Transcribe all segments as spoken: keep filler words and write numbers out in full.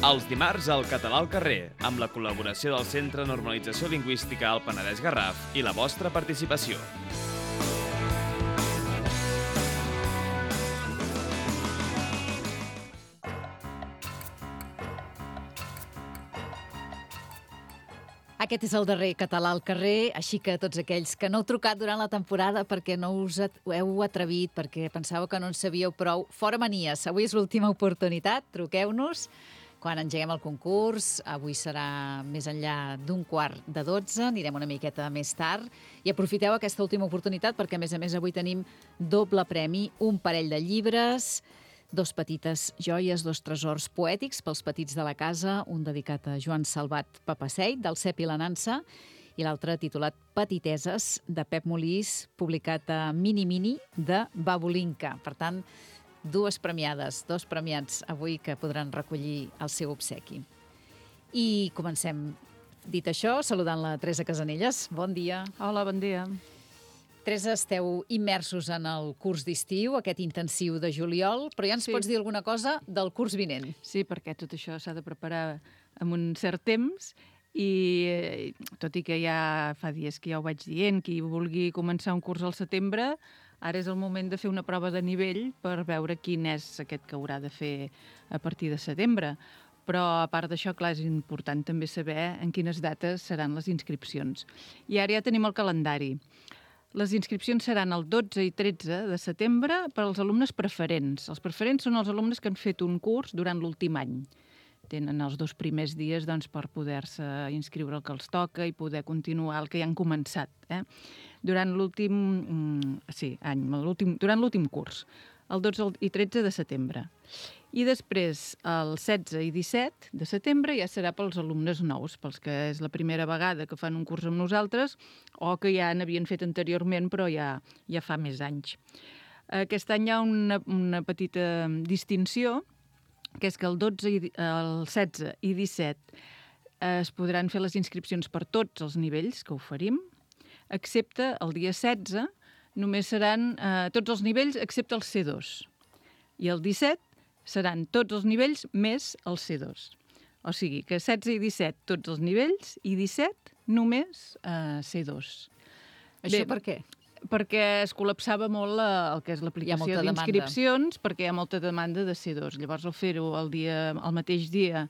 Els dimarts al Català al carrer, amb la col·laboració del Centre de Normalització Lingüística al Penedès Garraf i la vostra participació. Aquest és el darrer Català al carrer, així que tots aquells que no heu trucat durant la temporada perquè no us ho heu atrevit, perquè pensàveu que no en sabíeu prou, fora manies. Avui és l'última oportunitat, truqueu-nos quan engeguem el concurs. Avui serà més enllà d'un quart de dotze, anirem una miqueta més tard. I aprofiteu aquesta última oportunitat perquè, a més a més, avui tenim doble premi, un parell de llibres, dos petites joies, dos tresors poètics pels petits de la casa, un dedicat a Joan Salvat Papaseit, del Cep i la Nansa, i l'altre titulat Petiteses, de Pep Molís, publicat a Mini Mini, de Babulinka. Per tant, dues premiades, dos premiats avui que podran recollir el seu obsequi. I comencem, dit això, saludant la Teresa Casanelles. Bon dia. Hola, bon dia. Teresa, esteu immersos en el curs d'estiu, aquest intensiu de juliol, però ja ens Sí. pots dir alguna cosa del curs vinent? Sí, perquè tot això s'ha de preparar amb un cert temps i, tot i que ja fa dies que ja ho vaig dient, qui vulgui començar un curs al setembre, ara és el moment de fer una prova de nivell per veure quin és aquest que haurà de fer a partir de setembre. Però, a part d'això, clar, és important també saber en quines dates seran les inscripcions. I ara ja tenim el calendari. Les inscripcions seran el dotze i tretze de setembre per als alumnes preferents. Els preferents són els alumnes que han fet un curs durant l'últim any. Tenen els dos primers dies doncs, per poder-se inscriure el que els toca i poder continuar el que ja han començat. Eh? Durant l'últim sí, any, durant l'últim curs, el dotze i tretze de setembre. I després, el setze i disset de setembre ja serà pels alumnes nous, pels que és la primera vegada que fan un curs amb nosaltres o que ja n'havien fet anteriorment però ja, ja fa més anys. Aquest any hi ha una, una petita distinció, que és que el dotze, i, el setze i disset es podran fer les inscripcions per tots els nivells que oferim, excepte el dia setze, només seran eh, tots els nivells excepte el C dos. I el disset seran tots els nivells més el C dos. O sigui que setze i disset tots els nivells i disset només eh, C dos. Això per què? Perquè es col·lapsava molt la, el que és l'aplicació d'inscripcions, perquè hi ha molta demanda de C dos. Llavors, al fer-ho el, dia, el mateix dia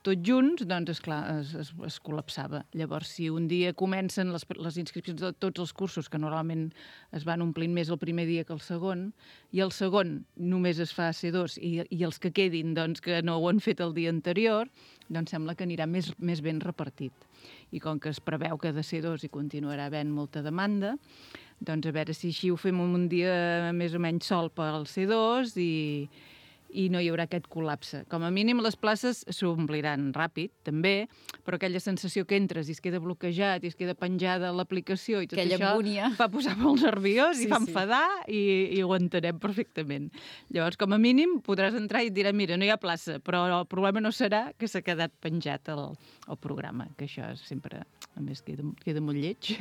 tots junts, doncs, esclar, es, es, es col·lapsava. Llavors, si un dia comencen les, les inscripcions de tots els cursos, que normalment es van omplint més el primer dia que el segon, i el segon només es fa C dos, i, i els que quedin, doncs, que no ho han fet el dia anterior, doncs sembla que anirà més, més ben repartit. I com que es preveu que de C dos hi continuarà havent molta demanda, doncs a veure si així ho fem un dia més o menys sol pel C dos i, i no hi haurà aquest col·lapse. Com a mínim les places s'ompliran ràpid, també, però aquella sensació que entres i es queda bloquejat i es queda penjada l'aplicació i tot aquella això angúnia. Fa posar molt nerviós sí, i fa sí. enfadar i, i ho entenem perfectament. Llavors, com a mínim, podràs entrar i et dirà, mira, no hi ha plaça, però el problema no serà que s'ha quedat penjat el, el programa, que això sempre, a més, queda, queda molt lleig,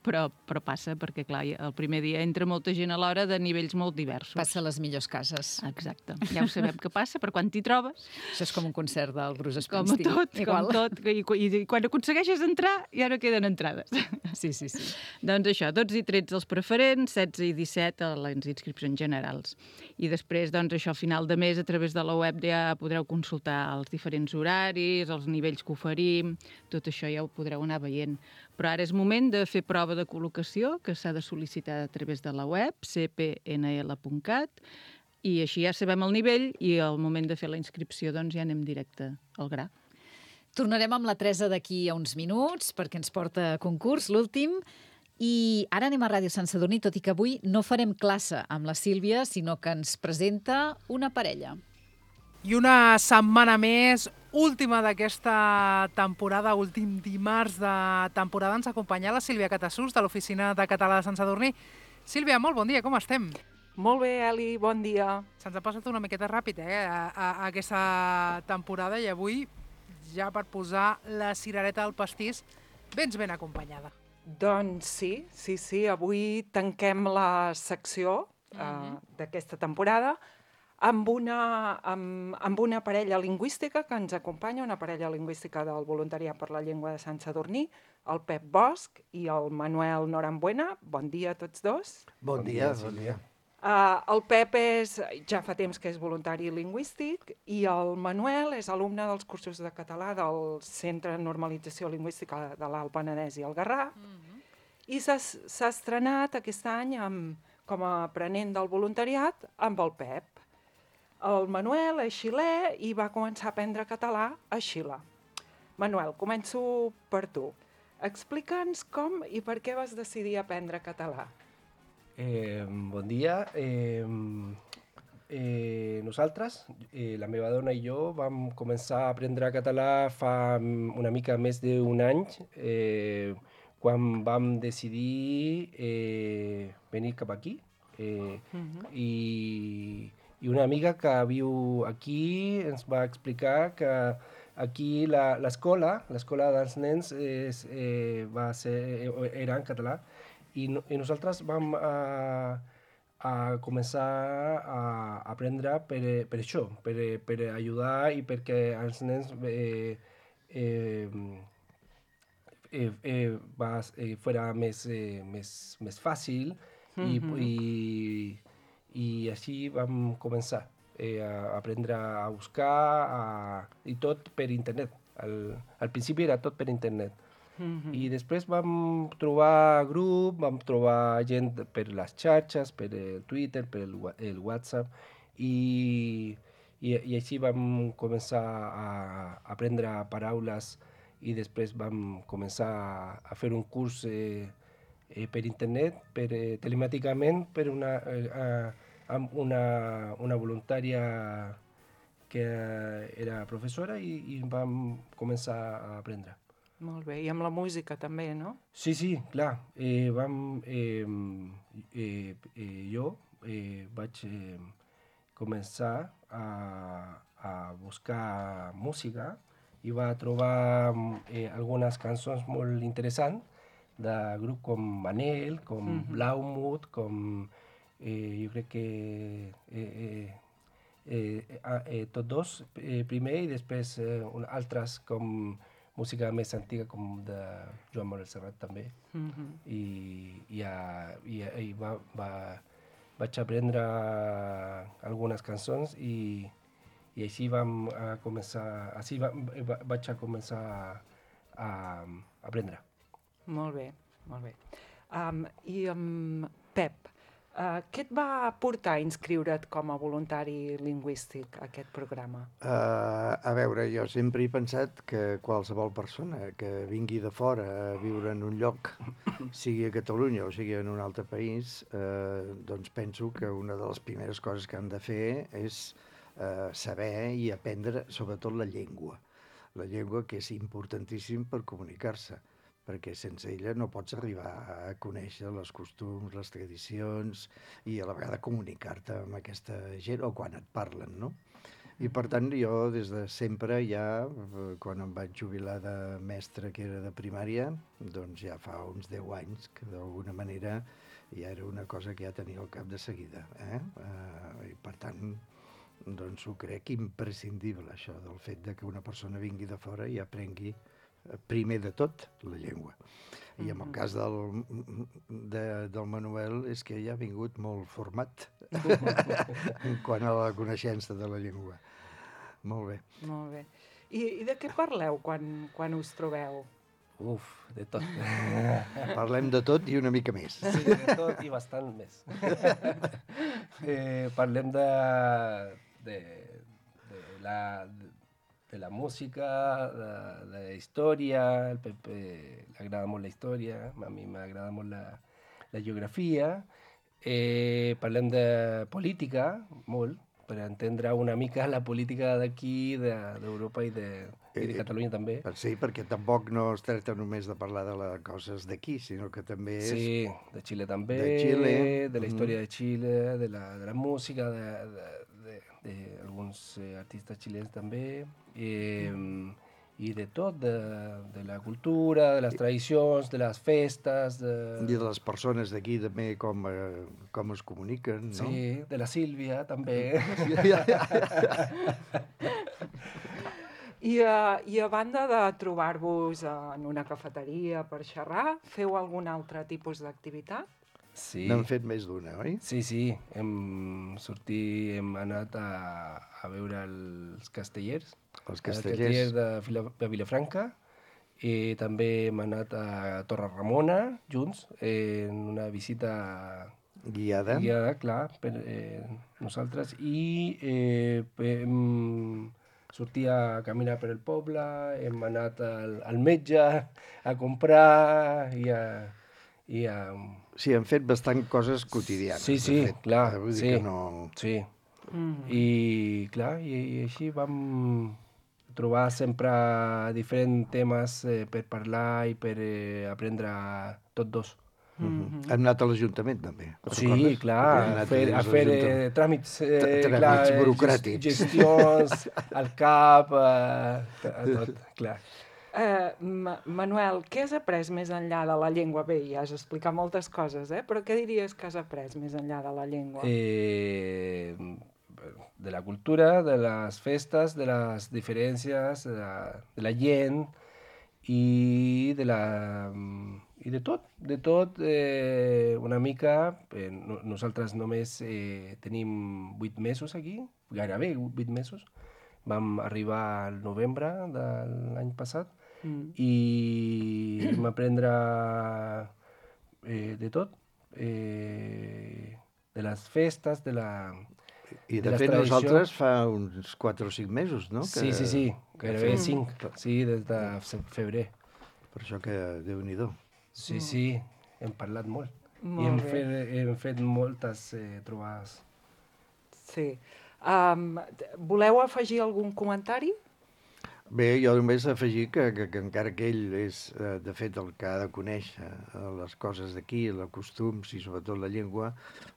però, però passa perquè, clar, el primer dia entra molta gent a l'hora de nivells molt diversos. Passa a les millors cases. Exacte. Ja ho sabem que passa, però quan t'hi trobes... Això és com un concert del Bruce Com Springsteen. tot, Igual. com tot. I, i, I quan aconsegueixes entrar, ja no queden entrades. Sí, sí, sí. Doncs això, dotze i tretze els preferents, setze i disset a les inscripcions generals. I després, doncs, això, a final de mes, a través de la web ja podreu consultar els diferents horaris, els nivells que oferim, tot això ja ho podreu anar veient. Però ara és moment de fer prova de col·locació, que s'ha de sol·licitar a través de la web, c p n l punt cat, i així ja sabem el nivell i al moment de fer la inscripció doncs ja anem directe al gra. Tornarem amb la Teresa d'aquí a uns minuts perquè ens porta a concurs, l'últim. I ara anem a Ràdio Sant Sadurní, tot i que avui no farem classe amb la Sílvia, sinó que ens presenta una parella. I una setmana més, última d'aquesta temporada, últim dimarts de temporada, ens acompanya la Sílvia Catassús, de l'Oficina de Català de Sant Sadurní. Sílvia, molt bon dia, com estem? Molt bé, Eli, bon dia. Se'ns ha passat una miqueta ràpid, eh, a, a, a aquesta temporada, i avui, ja per posar la cirereta al pastís, vens ben acompanyada. Doncs sí, sí, sí, avui tanquem la secció uh, mm-hmm. d'aquesta temporada amb una, amb, amb una parella lingüística que ens acompanya, una parella lingüística del Voluntariat per la Llengua de Sant Sadurní, el Pep Bosch i el Manuel Norambuena. Bon dia a tots dos. Bon, bon dia, bon dia. Uh, el Pep és, ja fa temps que és voluntari lingüístic i el Manuel és alumne dels cursos de català del Centre de Normalització Lingüística de l'Alt Penedès i el Garraf. Mm-hmm. I s'ha estrenat aquest any amb, com a aprenent del voluntariat amb el Pep. El Manuel és xilè i va començar a aprendre català a Xile. Manuel, començo per tu. Explica'ns com i per què vas decidir aprendre català. Eh, bon dia. Eh, eh, nosaltres, eh, la meva dona i jo, vam començar a aprendre català fa una mica més d'un any, eh, quan vam decidir eh, venir cap aquí. Eh, uh-huh. i, I una amiga que viu aquí ens va explicar que aquí l'escola, l'escola dels nens és, eh, va ser, era en català, i, no, i nosaltres vam a, a començar a aprendre per, per això, per, per ajudar i perquè els nens eh, eh, eh, eh, va, eh, fora més, eh, més, més fàcil. Mm-hmm. I, i, i així vam començar eh, a aprendre a buscar a, i tot per internet. Al, al principi era tot per internet. Mm-hmm. I després vam trobar grup, vam trobar gent per les xarxes, per el Twitter, per el, el WhatsApp, i, i, i així vam començar a aprendre paraules i després vam començar a fer un curs eh, Eh, per internet, per, eh, telemàticament, per una, eh, amb una, una voluntària que era professora i, i vam començar a aprendre. Molt bé, i amb la música també, no? Sí, sí, clar. Eh, vam, eh, eh, eh, jo eh, vaig eh, començar a, a buscar música i va trobar eh, algunes cançons molt interessants de grup com Manel, com mm-hmm. Blaumut, com eh, jo crec que eh, eh, eh, eh, tots dos eh, primer i després eh, altres com música més antiga com de Joan Manuel Serrat també. Mm-hmm. I, i, i, i va, va, vaig aprendre algunes cançons i, i així vam a començar, així va, va, vaig a començar a, a aprendre. Molt bé, molt bé. Um, I um, Pep, uh, què et va portar a inscriure't com a voluntari lingüístic a aquest programa? Uh, a veure, jo sempre he pensat que qualsevol persona que vingui de fora a viure en un lloc, sigui a Catalunya o sigui en un altre país, uh, doncs penso que una de les primeres coses que han de fer és uh, saber i aprendre sobretot la llengua. La llengua que és importantíssim per comunicar-se, perquè sense ella no pots arribar a conèixer els costums, les tradicions i a la vegada comunicar-te amb aquesta gent o quan et parlen, no? I per tant jo des de sempre ja, quan em vaig jubilar de mestre que era de primària, doncs ja fa uns deu anys que d'alguna manera ja era una cosa que ja tenia al cap de seguida. Eh? Uh, I per tant, doncs ho crec imprescindible això del fet de que una persona vingui de fora i aprengui primer de tot, la llengua. I en el cas del, de, del Manuel és que ja ha vingut molt format en quant a la coneixença de la llengua. Molt bé. Molt bé. I, i de què parleu quan, quan us trobeu? Uf, de tot. Parlem de tot i una mica més. Sí, de tot i bastant més. eh, parlem de, de, de la... De, de la música, de, de la història, el Pepe le agrada molt la història, a mi m'agrada molt la, la geografia, eh, parlem de política, molt, per entendre una mica la política d'aquí, d'Europa de, i, de, i de Catalunya també. Sí, perquè tampoc no es tracta només de parlar de les coses d'aquí, sinó que també és... Sí, de Xile també, de, Xile. de la història mm. de Xile, de la, de la música, de, de, de, de alguns eh, artistes xilens també, eh, i de tot, de, de la cultura, de les tradicions, de les festes... De... I de les persones d'aquí també com, eh, com es comuniquen, no? Sí, de la Sílvia també. I, uh, I a banda de trobar-vos en una cafeteria per xerrar, feu algun altre tipus d'activitat? Sí. N'han fet més d'una, oi? Sí, sí. Hem sortit, hem anat a, a veure els castellers. Els Els castellers. castellers de, Vila, de Vilafranca. I també hem anat a Torre Ramona, junts, en una visita Guiada. guiada, clar, per eh, nosaltres. I eh, hem sortit a caminar per el poble, hem anat al, al metge a comprar i a... I a Sí, han fet bastant coses quotidianes. Sí, sí, de fet. clar, Vull dir sí. que no... Sí. Mm. I, clar, i, i així vam trobar sempre diferents temes eh, per parlar i per eh, aprendre tots dos. Mm-hmm. Hem anat a l'Ajuntament, també. Sí, recordes? clar, Hem a anat fer, a dins fer l'Ajuntament. eh, tràmits, eh, Tràmits clar, eh, burocràtics. gestions, al cap, eh, a tot, clar. Eh, Ma Manuel, què has après més enllà de la llengua? Bé, ja has explicat moltes coses, eh? Però què diries que has après més enllà de la llengua? Eh, de la cultura, de les festes, de les diferències, de la, de la gent i de la... i de tot, de tot eh, una mica. Eh, no, nosaltres només eh, tenim vuit mesos aquí, gairebé vuit mesos. Vam arribar al novembre de l'any passat mm. i vam aprendre eh, de tot, eh, de les festes, de la... I de, de fet tradició. Nosaltres fa uns quatre o cinc mesos, no? Sí, que, sí, sí, gairebé cinc, sí, des de febrer. Per això que Déu-n'hi-do. Sí, sí, hem parlat molt. molt I hem bé. fet, hem fet moltes eh, trobades. Sí. Um, voleu afegir algun comentari? Bé, jo només afegir que, que, que encara que ell és, eh, de fet, el que ha de conèixer eh, les coses d'aquí, els costums i sobretot la llengua,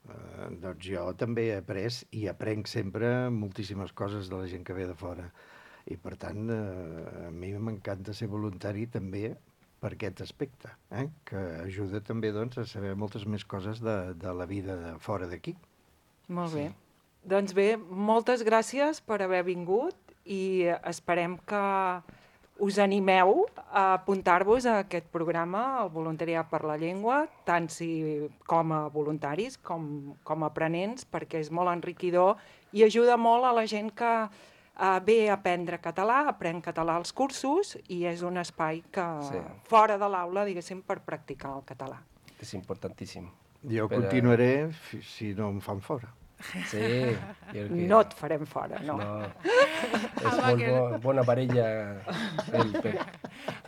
eh, doncs jo també he après i aprenc sempre moltíssimes coses de la gent que ve de fora. I, per tant, eh, a mi m'encanta ser voluntari també per aquest aspecte, eh? Que ajuda també doncs, a saber moltes més coses de, de la vida de fora d'aquí. Molt bé. Sí. Doncs bé, moltes gràcies per haver vingut i esperem que us animeu a apuntar-vos a aquest programa, el Voluntariat per la Llengua, tant si com a voluntaris com, com a aprenents, perquè és molt enriquidor i ajuda molt a la gent que uh, ve a aprendre català, aprèn català als cursos i és un espai que sí. fora de l'aula, diguéssim, per practicar el català. És importantíssim. Jo per continuaré a... si no em fan fora. Sí, que... No et farem fora, no. no. És molt bo, bona parella el Pep.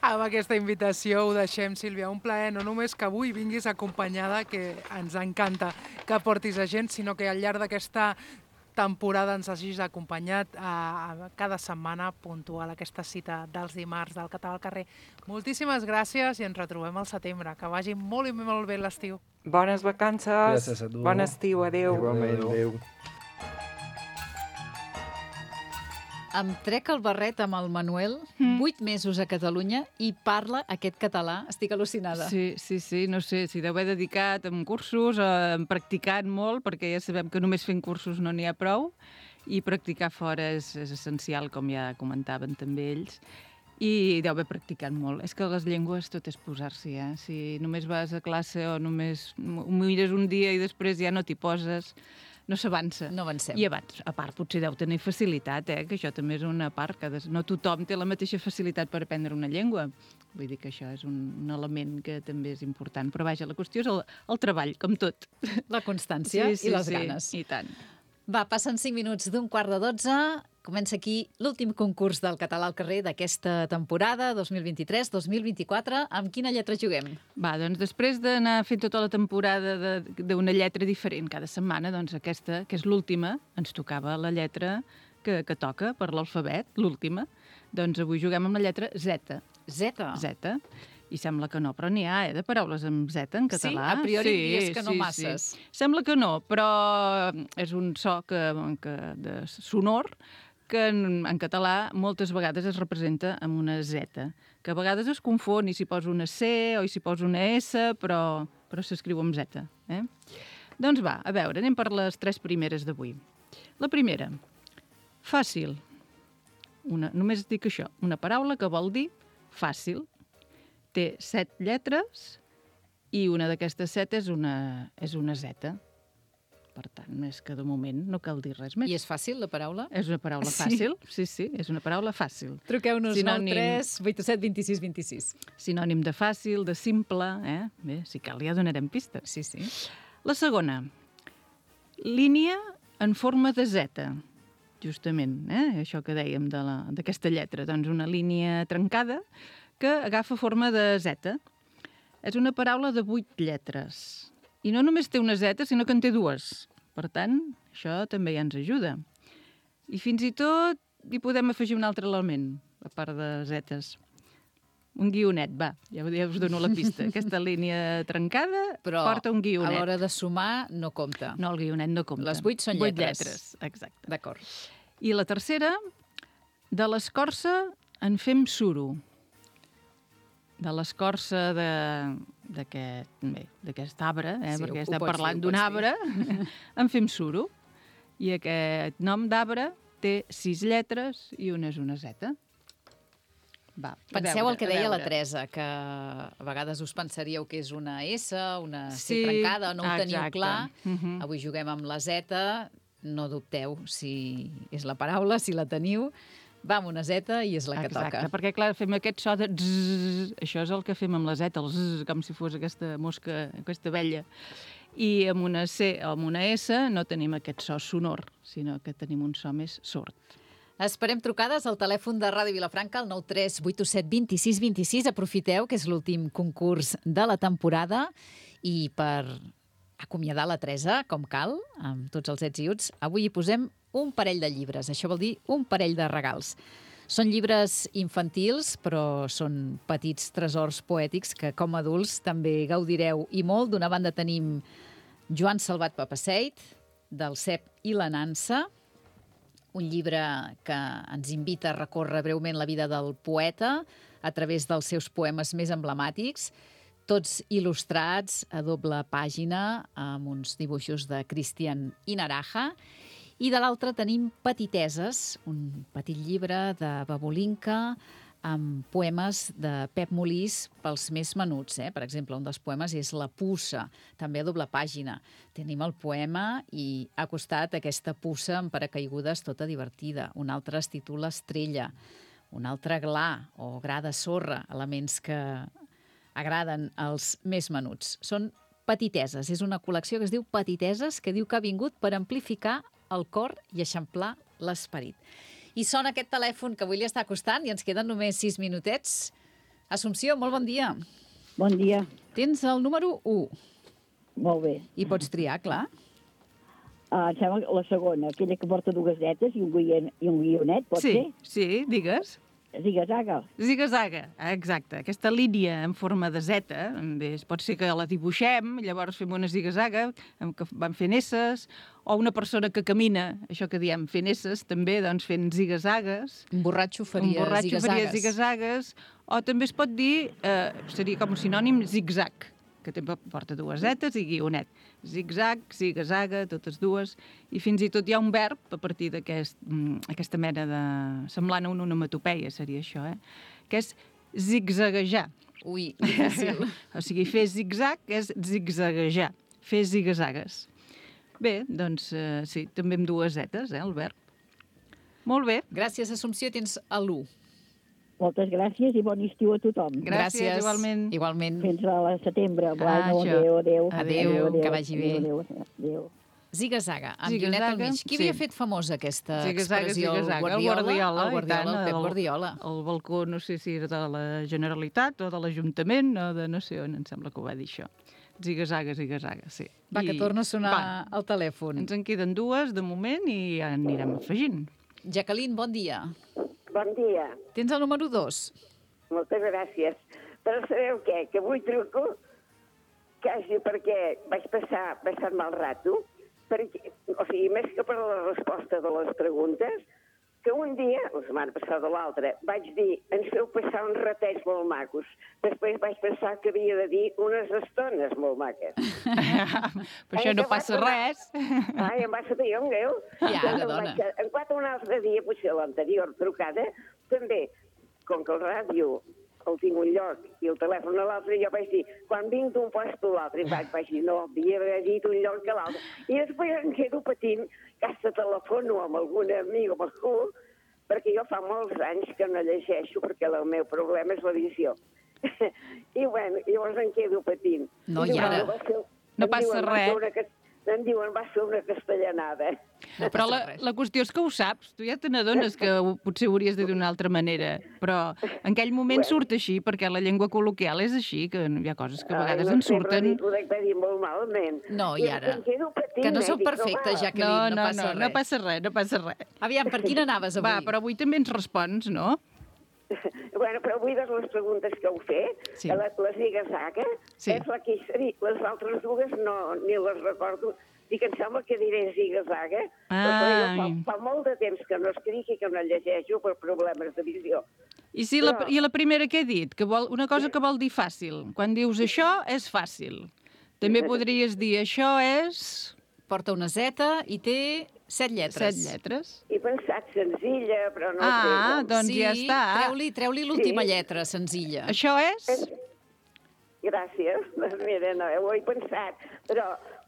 Amb aquesta invitació ho deixem, Sílvia. Un plaer, no només que avui vinguis acompanyada, que ens encanta que portis a gent, sinó que al llarg d'aquesta temporada ens hagis acompanyat a, a cada setmana puntual aquesta cita dels dimarts del Català al carrer. Moltíssimes gràcies i ens retrobem al setembre. Que vagi molt i molt bé l'estiu. Bones vacances, gràcies a tu. Bon estiu, adéu. Igualment, adéu. Em trec el barret amb el Manuel, vuit mm. mesos a Catalunya, i parla aquest català. Estic al·lucinada. Sí, sí, sí, no sé, si deu haver dedicat en cursos, eh, practicant molt, perquè ja sabem que només fent cursos no n'hi ha prou, i practicar fora és, és essencial, com ja comentaven també ells, i deu haver practicat molt. És que les llengües tot és posar-s'hi, eh? Si només vas a classe o només ho mires un dia i després ja no t'hi poses, no s'avança. No avancem. I abans, a part, potser deu tenir facilitat, eh? Que això també és una part, que no tothom té la mateixa facilitat per aprendre una llengua. Vull dir que això és un, un element que també és important. Però vaja, la qüestió és el, el treball, com tot. La constància sí, sí, i les sí, ganes. I tant. Va, passen cinc minuts d'un quart de dotze. Comença aquí l'últim concurs del català al carrer d'aquesta temporada dos mil vint-i-tres dos mil vint-i-quatre. Amb quina lletra juguem? Va, doncs després d'anar fent tota la temporada d'una lletra diferent cada setmana, doncs aquesta, que és l'última, ens tocava la lletra que, que toca per l'alfabet, l'última. Doncs avui juguem amb la lletra Z. Z? Z. I sembla que no, però n'hi ha, eh, de paraules amb Z en català. Sí? A priori sí, diries que no sí, masses. Sí. Sembla que no, però és un so que, que de sonor que en, en català moltes vegades es representa amb una Z, que a vegades es confon i s'hi posa una C o s'hi posa una S, però, però s'escriu amb Z. Eh? Doncs va, a veure, anem per les tres primeres d'avui. La primera, fàcil. Una, només dic això, una paraula que vol dir fàcil. Té set lletres i una d'aquestes set és una, és una Z. Per tant, més que de moment no cal dir res més. I és fàcil, la paraula? És una paraula Sí. fàcil, sí, sí, és una paraula fàcil. Truqueu-nos nou Sinònim- tres vuit set dos sis dos sis. Sinònim de fàcil, de simple, eh? Bé, si cal ja donarem pistes. Sí, sí. La segona, línia en forma de Z, justament, eh? Això que dèiem de la- d'aquesta lletra, doncs una línia trencada que agafa forma de Z. És una paraula de vuit lletres. I no només té una Z, sinó que en té dues. Per tant, això també ja ens ajuda. I fins i tot hi podem afegir un altre element, a part de zetes. Un guionet, va, ja, ja us dono la pista. Aquesta línia trencada Però porta un a guionet. l'hora de sumar no compta. No, el guionet no compta. Les vuit són Vuit lletres. lletres, exacte. D'acord. I la tercera, de l'escorça en fem suro. De l'escorça de- d'aquest bé, d'aquest arbre, eh? Sí, perquè ho estem pots dir, parlant ho d'un pots arbre, en fem suro. I aquest nom d'arbre té sis lletres i una és una Z. Va, a Penseu veure, el que a deia la veure. Teresa, que a vegades us pensaríeu que és una S, una C Sí, trencada, no ho teniu exacte. clar. Mhm. Avui juguem amb la Z, no dubteu si és la paraula, si la teniu. Va amb una Z i és la que Exacte, toca. perquè clar, fem aquest so de zzz, això és el que fem amb la Z, el zzz, com si fos aquesta mosca, aquesta abella. I amb una C o amb una S no tenim aquest so sonor, sinó que tenim un so més sord. Esperem trucades al telèfon de Ràdio Vilafranca, el nou tres vuit set dos sis dos sis. Aprofiteu, que és l'últim concurs de la temporada. I per acomiadar la Teresa, com cal, amb tots els ets i uts, avui hi posem un parell de llibres. Això vol dir un parell de regals. Són llibres infantils, però són petits tresors poètics que, com a adults, també gaudireu i molt. D'una banda tenim Joan Salvat Papasseit, del Cep i la Nansa, un llibre que ens invita a recórrer breument la vida del poeta a través dels seus poemes més emblemàtics, tots il·lustrats a doble pàgina amb uns dibuixos de Cristian Inaraja. I de l'altre tenim Petiteses, un petit llibre de Babolinka amb poemes de Pep Molís pels més menuts. Eh? Per exemple, un dels poemes és La puça, també a doble pàgina. Tenim el poema i ha costat aquesta puça amb paracaigudes tota divertida. Un altre es titula Estrella, un altre Gla o Gra de sorra, elements que agraden als més menuts. Són Petiteses, és una col·lecció que es diu Petiteses, que diu que ha vingut per amplificar el cor i eixamplar l'esperit. I sona aquest telèfon que avui li està costant i ens queden només sis minutets. Assumpció, molt bon dia. Bon dia, Tens el número u molt bé. i pots triar, clar. Uh, em sembla que la segona, aquella que porta dues zetes i un, guion, i un guionet, pot Sí, ser? sí, digues. Ziga-zaga. Ziga-zaga, exacte. Aquesta línia en forma de Z, bé, pot ser que la dibuixem, llavors fem una ziga-zaga, amb que van fent esses, o una persona que camina, això que diem, fent esses, també, doncs, fent ziga-zagues. Un borratxo Un faria borratxo faria ziga-zagues. ziga-zagues, o també es pot dir, eh, seria com un sinònim, zig-zag, que també porta dues zetes i guionet. Zig-zag, ziga-zaga, totes dues, i fins i tot hi ha un verb a partir d'aquesta mena de... semblant a una onomatopeia, seria això, eh? Que és zigzaguejar. Ui, difícil. O sigui, fer zig-zag és zigzaguejar, fer ziga-zagues. Bé, doncs eh, sí, també amb dues zetes, eh, el verb. Molt bé. Gràcies, Assumpció, tens l'u. Moltes gràcies i bon estiu a tothom. Gràcies, igualment. Igualment. Fins a setembre. Ah, Bueno, això. adéu, adéu. Adéu, que vagi bé. Adéu, adéu. Ziga-zaga, amb Ziga-zaga, guionet al mig. Qui havia sí. fet famosa aquesta Ziga-zaga, expressió? ziga-zaga. El Guardiola? Guardiola, El i Guardiola, tant, el Pep del- Guardiola. El balcó, no sé si era de la Generalitat o de l'Ajuntament o de no sé on, em sembla que ho va dir això. Ziga-zaga, ziga-zaga, sí. Va, que I- torna a sonar va, el telèfon. ens en queden dues de moment i ja anirem afegint. Jacqueline, bon dia. Bon dia, Tens el número dos. moltes gràcies. Però sabeu què? Que avui truco quasi perquè vaig passar bastant mal rato, perquè, o sigui, més que per la resposta de les preguntes, que un dia, la setmana passada o l'altra, vaig dir, ens feu passar uns ratets molt macos. Després vaig pensar que havia de dir unes estones molt maques. Però això no passa res. Ai, em va saber un greu. Ja, ara, dona. En quatre un altre dia, potser l'anterior trucada, també, com que el ràdio el tinc un lloc i el telèfon a l'altre, jo vaig dir, quan vinc d'un lloc a l'altre, vaig, vaig dir, no, havia d'haver dit un lloc que l'altre. I després em quedo patint que hasta telefono amb algun amic o amb algú, perquè jo fa molts anys que no llegeixo, perquè el meu problema és l'edició. I bueno, llavors em quedo patint. No, i ara... No passa res. Em diuen, va ser una castellanada. No, però la, la qüestió és que ho saps. Tu ja te n'adones que ho, potser ho hauries de dir d'una altra manera. Però en aquell moment bueno. surt així, perquè la llengua col·loquial és així, que hi ha coses que a vegades Ai, no en surten... Ho dec dir molt malament. No, i ara? Patint, que no sou dic, perfectes, Jacqueline, no, no, no, passa no, res. no passa res, no passa res. Aviam, per quina anaves avui? Va, però avui també ens respons, no? Bueno, però avui de les preguntes que heu fet, Sí. la, la ziga-zaga, Sí. és la que he dit. Les altres dues no, ni les recordo. Dic, em sembla que diré ziga-zaga, però fa, fa molt de temps que no escric i que no llegeixo per problemes de visió. I, si la, Però- I la primera que he dit? Que vol, una cosa que vol dir fàcil. Quan dius això, és fàcil. També podries dir això és... Porta una zeta i té set lletres. Set lletres. He pensat senzilla, però no Ah, sé. doncs sí, ja està. treu-li treu l'última Sí. lletra, senzilla. Això és... Gràcies. Doncs mira, no, ho he pensat, però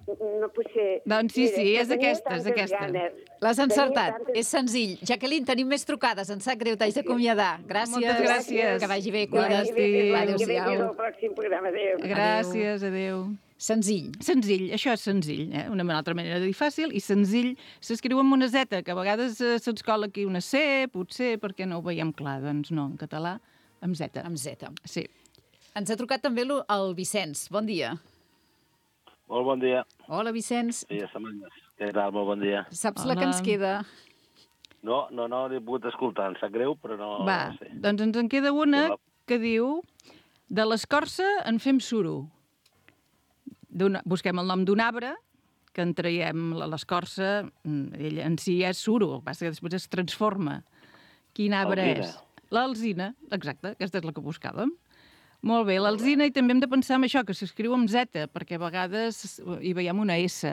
no potser... Doncs sí, Mira, sí, que és tenia aquesta, és tantes aquesta. ganes. L'has Tenia encertat, tantes- és senzill. Jacqueline, tenim més trucades, em sap greu, t'haig d'acomiadar. Gràcies. Moltes gràcies. Que vagi bé, Que vagi cuida't. bé, que vagi bé, Adéu-siau. fins al pròxim programa. Adéu. Gràcies, adéu. Senzill. Senzill, això és senzill, eh? Una altra manera de dir fàcil, i senzill s'escriu amb una zeta, que a vegades eh, se'ns cola aquí una C, potser, perquè no ho veiem clar. Doncs no, en català, amb zeta. Amb zeta. Sí. Ens ha trucat també lo- el Vicenç. Bon dia. Molt bon dia. Hola, Vicenç. Sí, setmanes. Què tal? Molt bon dia. Saps Hola. la que ens queda? No, no, no l'he pogut escoltar. Em sap greu, però no... Va, no sé. doncs ens en queda una Hola. que diu de l'escorça en fem suro. D'una- Busquem el nom d'un arbre, que en traiem la- l'escorça, mm, ell en si és suro, el que passa que després es transforma. Quin arbre Alzina. és? L'alzina, exacte, aquesta és la que buscàvem. Molt bé, l'alzina, i també hem de pensar en això, que s'escriu amb zeta, perquè a vegades hi veiem una S.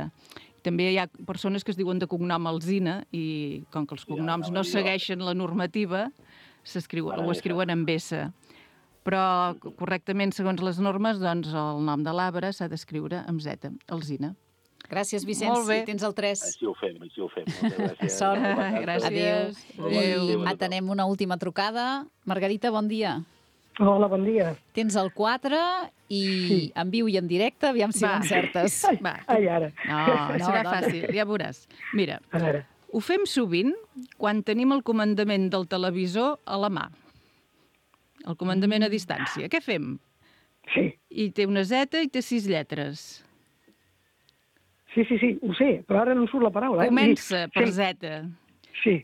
També hi ha persones que es diuen de cognom alzina, i com que els cognoms no segueixen la normativa, s'escriu, ho escriuen amb S. Però correctament, segons les normes, doncs el nom de l'arbre s'ha d'escriure amb Z, alzina. Gràcies, Vicenç. Molt bé. Tens el tres. Així ho fem, així ho fem. Moltes gràcies. Sort. Gràcies. Adéu. I atenem una última trucada. Margarita, bon dia. Hola, bon dia. Tens el quatre i sí. en viu i en directe, aviam si Va. l'encertes. Va. Ai, ara. No, No, serà dona. fàcil, ja veuràs. Mira, A veure. ho fem sovint quan tenim el comandament del televisor a la mà. El comandament a distància. Què fem? Sí, I té una Z i té sis lletres. sí, sí, sí, ho sé, però ara no em surt la paraula. Eh? Comença per sí, Z. Sí,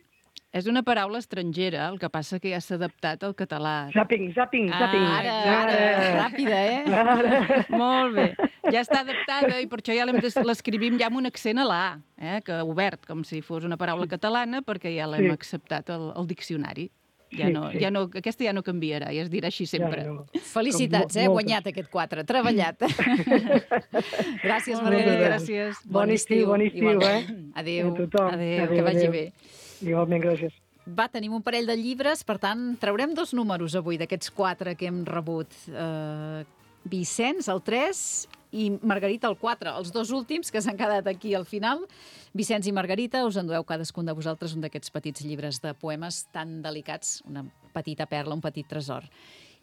És una paraula estrangera, el que passa que ja s'ha adaptat al català. zapping, zapping, zapping. Ara, ara, ràpida, eh? Ara. Molt bé. Ja està adaptada i per això ja l'hem de- l'escrivim ja amb un accent a la A, eh? Que obert, com si fos una paraula catalana, perquè ja l'hem Sí. acceptat al, al diccionari. Ja Sí, no, sí. ja no, aquesta ja no canviarà, ja es dirà així sempre. Ja, no. Felicitats, Com eh? mo- Guanyat aquest quatre. Treballat. Gràcies, Molt bé, Margarita. gràcies. Bon estiu, bon estiu, igualment. eh? Adéu. A tothom. Adéu, Que vagi adéu. bé. Igualment, gràcies. Va, tenim un parell de llibres, per tant, traurem dos números avui d'aquests quatre que hem rebut. Uh, Vicenç, el tres, i Margarita, el quatre. Els dos últims que s'han quedat aquí al final. Vicenç i Margarita, us endueu cadascun de vosaltres un d'aquests petits llibres de poemes tan delicats, una petita perla, un petit tresor.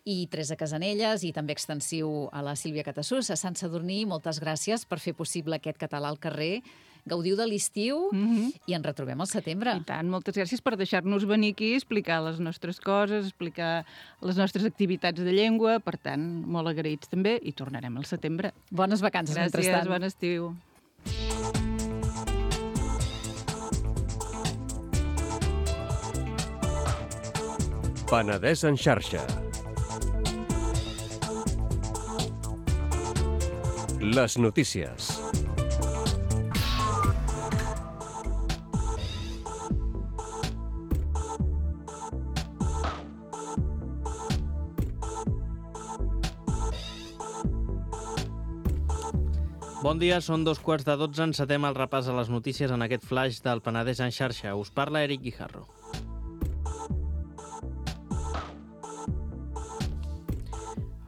I Teresa Casanelles, i també extensiu a la Sílvia Catassús, a Sant Sadurní, moltes gràcies per fer possible aquest català al carrer. Gaudiu de l'estiu Mhm. i ens retrobem al setembre. I tant, moltes gràcies per deixar-nos venir aquí, explicar les nostres coses, explicar les nostres activitats de llengua. Per tant, molt agraïts també, i tornarem al setembre. Bones vacances, Gràcies, mentrestant. bon estiu. Penedès en xarxa. Les notícies. Bon dia, són dos quarts de dotze, encetem el repàs a les notícies en aquest flash del Penedès en xarxa. Us parla Eric Guijarro.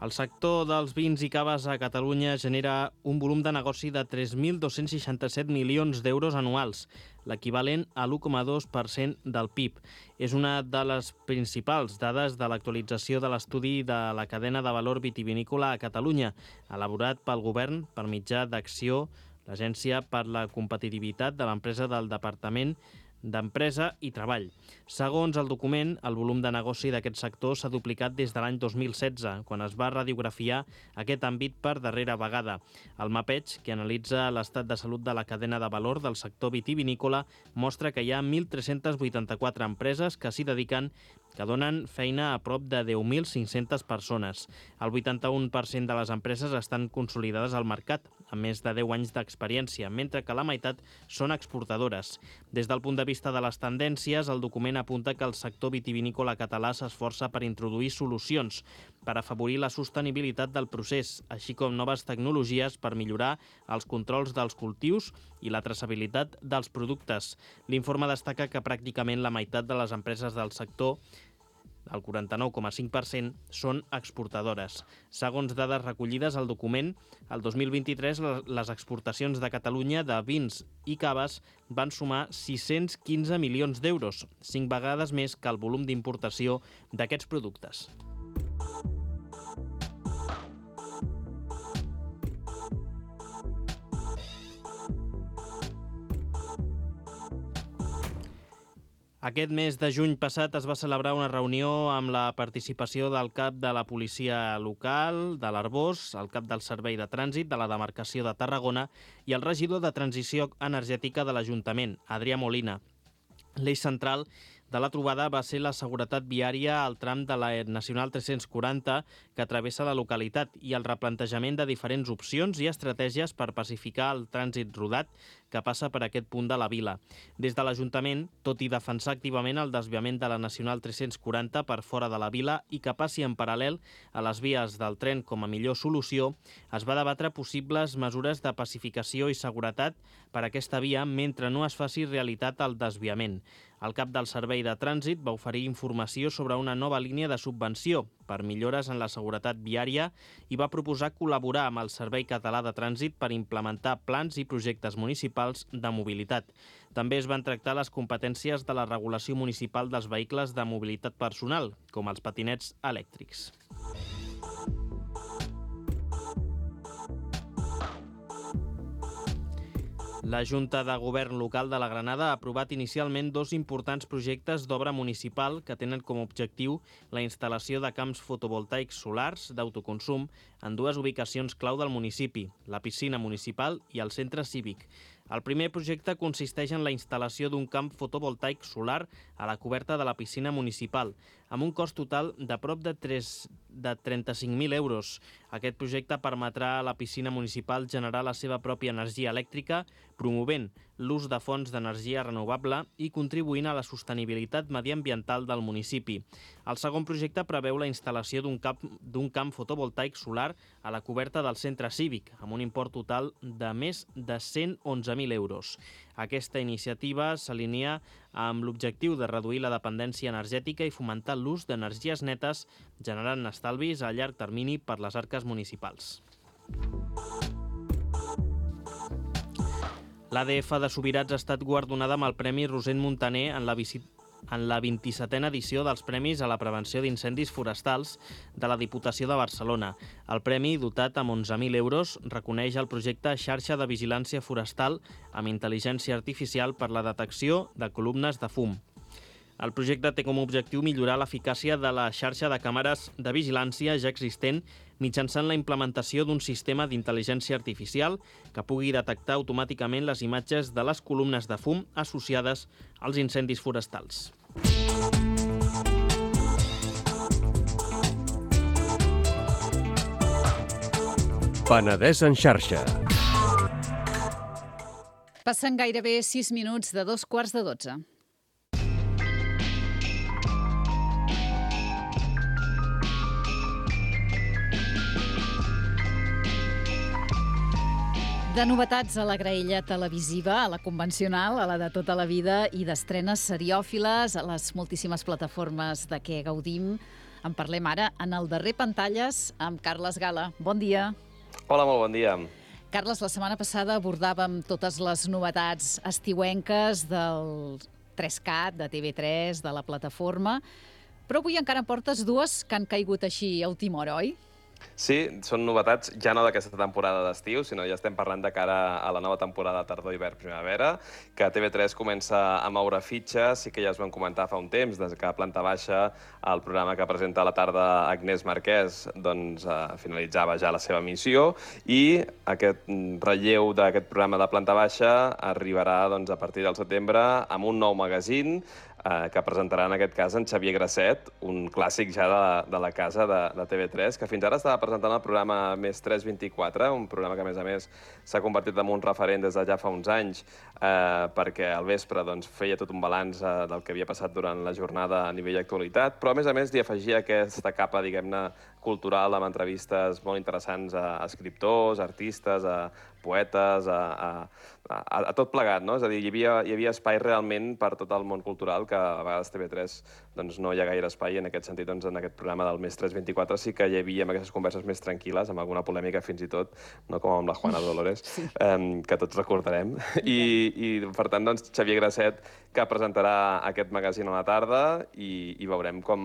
El sector dels vins i caves a Catalunya genera un volum de negoci de tres mil dos-cents seixanta-set milions d'euros anuals, l'equivalent a l'u coma dos per cent del P I B. És una de les principals dades de l'actualització de l'estudi de la cadena de valor vitivinícola a Catalunya, elaborat pel govern per mitjà d'Acció, l'Agència per la Competitivitat de l'Empresa del Departament d'Empresa i Treball. Segons el document, el volum de negoci d'aquest sector s'ha duplicat des de l'any dos mil setze, quan es va radiografiar aquest àmbit per darrera vegada. El mapeig, que analitza l'estat de salut de la cadena de valor del sector vitivinícola, mostra que hi ha mil tres-cents vuitanta-quatre empreses que s'hi dediquen, que donen feina a prop de deu mil cinc-centes persones. El vuitanta-u per cent de les empreses estan consolidades al mercat, amb més de deu anys d'experiència, mentre que la meitat són exportadores. Des del punt de vista de les tendències, el document apunta que el sector vitivinícola català s'esforça per introduir solucions per afavorir la sostenibilitat del procés, així com noves tecnologies per millorar els controls dels cultius i la traçabilitat dels productes. L'informe destaca que pràcticament la meitat de les empreses del sector, el quaranta-nou coma cinc per cent, són exportadores. Segons dades recollides al document, el dos mil vint-i-tres les exportacions de Catalunya de vins i caves van sumar sis-cents quinze milions d'euros, cinc vegades més que el volum d'importació d'aquests productes. Aquest mes de juny passat es va celebrar una reunió amb la participació del cap de la policia local de l'Arboç, el cap del Servei de Trànsit de la demarcació de Tarragona i el regidor de Transició Energètica de l'Ajuntament, Adrià Molina. L'eix central de la trobada va ser la seguretat viària al tram de la Nacional tres-cents quaranta que travessa la localitat i el replantejament de diferents opcions i estratègies per pacificar el trànsit rodat que passa per aquest punt de la vila. Des de l'Ajuntament, tot i defensar activament el desviament de la Nacional tres-cents quaranta per fora de la vila i que passi en paral·lel a les vies del tren com a millor solució, es va debatre possibles mesures de pacificació i seguretat per a aquesta via mentre no es faci realitat el desviament. El cap del Servei de Trànsit va oferir informació sobre una nova línia de subvenció per millores en la seguretat viària i va proposar col·laborar amb el Servei Català de Trànsit per implementar plans i projectes municipals de mobilitat. També es van tractar les competències de la regulació municipal dels vehicles de mobilitat personal, com els patinets elèctrics. La Junta de Govern Local de la Granada ha aprovat inicialment dos importants projectes d'obra municipal que tenen com a objectiu la instal·lació de camps fotovoltaics solars d'autoconsum en dues ubicacions clau del municipi, la piscina municipal i el centre cívic. El primer projecte consisteix en la instal·lació d'un camp fotovoltaic solar a la coberta de la piscina municipal, amb un cost total de prop de, de trenta-cinc mil euros. Aquest projecte permetrà a la piscina municipal generar la seva pròpia energia elèctrica, promovent l'ús de fonts d'energia renovable i contribuint a la sostenibilitat mediambiental del municipi. El segon projecte preveu la instal·lació d'un camp, d'un camp fotovoltaic solar a la coberta del centre cívic, amb un import total de més de cent onze mil euros. Aquesta iniciativa s'alinea amb l'objectiu de reduir la dependència energètica i fomentar l'ús d'energies netes, generant estalvis a llarg termini per les arques municipals. L'A D F de Subirats ha estat guardonada amb el Premi Rosent Montaner en la visita en la vint-i-setena edició dels Premis a la Prevenció d'Incendis Forestals de la Diputació de Barcelona. El premi, dotat amb onze mil euros, reconeix el projecte Xarxa de Vigilància Forestal amb intel·ligència artificial per la detecció de columnes de fum. El projecte té com a objectiu millorar l'eficàcia de la xarxa de càmeres de vigilància ja existent mitjançant la implementació d'un sistema d'intel·ligència artificial que pugui detectar automàticament les imatges de les columnes de fum associades als incendis forestals. Penedès en xarxa. Passen gairebé sis minuts de dos quarts de dotze. De novetats a la graella televisiva, a la convencional, a la de tota la vida, i d'estrenes seriòfiles a les moltíssimes plataformes de què gaudim. En parlem ara en el darrer Pantalles amb Carles Gala. Bon dia. Hola, molt bon dia. Carles, la setmana passada abordàvem totes les novetats estiuenques del tres cat, de T V tres, de la plataforma, però avui encara en portes dues que han caigut així a última hora, oi? Sí, són novetats ja no d'aquesta temporada d'estiu, sinó ja estem parlant de cara a la nova temporada tardor, hivern, primavera, que T V tres comença a moure fitxes, sí que ja es van comentar fa un temps, des que a Planta Baixa, el programa que presenta a la tarda Agnès Marquès, doncs eh, finalitzava ja la seva missió, i aquest relleu d'aquest programa de Planta Baixa arribarà doncs, a partir del setembre amb un nou magazín, Eh, que presentarà en aquest cas en Xavier Grasset, un clàssic ja de, de la casa de, de T V tres, que fins ara estava presentant el programa Més tres vint-i-quatre, un programa que a més a més s'ha convertit en un referent des de ja fa uns anys, eh, perquè al vespre doncs, feia tot un balanç eh, del que havia passat durant la jornada a nivell d'actualitat, però a més a més li afegia aquesta capa, diguem-ne, cultural, amb entrevistes molt interessants a escriptors, artistes, a poetes, a, a, a, a tot plegat, no? És a dir, hi havia, hi havia espai realment per tot el món cultural, que a vegades T V tres doncs, no hi ha gaire espai, en aquest sentit, doncs, en aquest programa del Més tres vint-i-quatre sí que hi havia aquestes converses més tranquil·les, amb alguna polèmica fins i tot, no com amb la Juana Dolores, sí. eh, que tots recordarem. I, i per tant, doncs, Xavier Grasset, que presentarà aquest magazín a la tarda, i, i veurem com,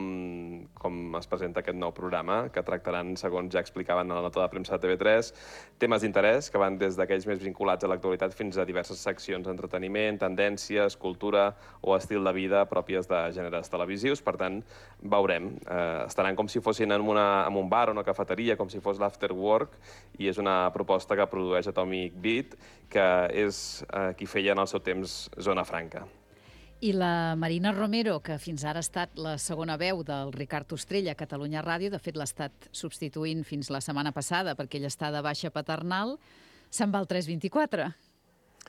com es presenta aquest nou programa, que tractaran, segons ja explicaven a la nota de premsa de T V tres, temes d'interès que van des d'aquells més vinculats a l'actualitat fins a diverses seccions d'entreteniment, tendències, cultura o estil de vida pròpies de gèneres televisius. Per tant, veurem. Eh, estaran com si fossin en, una, en un bar o una cafeteria, com si fos l'After Work, i és una proposta que produeix Atomic Beat, que és eh, qui feia en el seu temps Zona Franca. I la Marina Romero, que fins ara ha estat la segona veu del Ricard Ostrell a Catalunya Ràdio, de fet l'ha estat substituint fins la setmana passada perquè ell està de baixa paternal, se'n va al tres vint-i-quatre.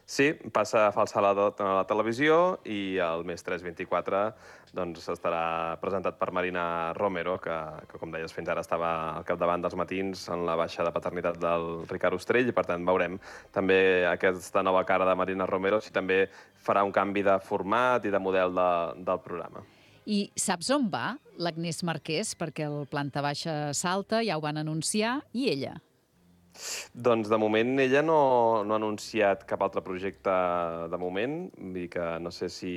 Sí, passa a falsar la, la televisió, i el Més tres vint-i-quatre doncs, estarà presentat per Marina Romero, que, que, com deies, fins ara estava al capdavant dels matins en la baixa de paternitat del Ricard Ostrell, i per tant veurem també aquesta nova cara de Marina Romero, si també farà un canvi de format i de model de, del programa. I saps on va l'Agnès Marquès? Perquè el Planta Baixa salta, ja ho van anunciar, i ella? Doncs de moment ella no, no ha anunciat cap altre projecte de moment, vull dir que no sé si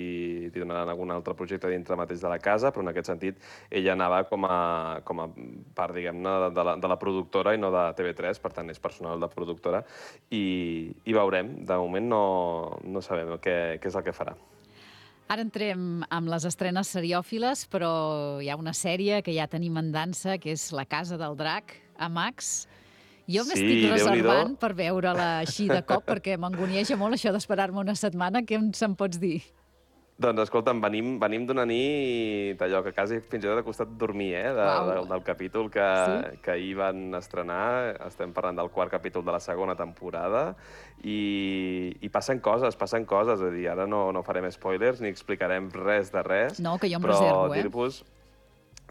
li donaran algun altre projecte dintre mateix de la casa, però en aquest sentit ella anava com a, com a part, diguem-ne, de, la, de la productora i no de T V tres, per tant és personal de productora, i, i veurem. De moment no, no sabem què, què és el que farà. Ara entrem amb les estrenes seriòfiles, però hi ha una sèrie que ja tenim en dansa, que és La Casa del Drac, a Max. Jo m'estic sí, reservant per veure-la així de cop, perquè m'angonieja molt això d'esperar-me una setmana. Què se'n pots dir? Doncs, escolta'm, venim, venim d'una nit allò que quasi fins i tot ha costat dormir, eh, de, de, del capítol que, sí? que ahir van estrenar. Estem parlant del quart capítol de la segona temporada, i, i passen coses, passen coses. És a dir, ara no, no farem spoilers ni explicarem res de res. No, que jo em reservo, eh? Dir-vos...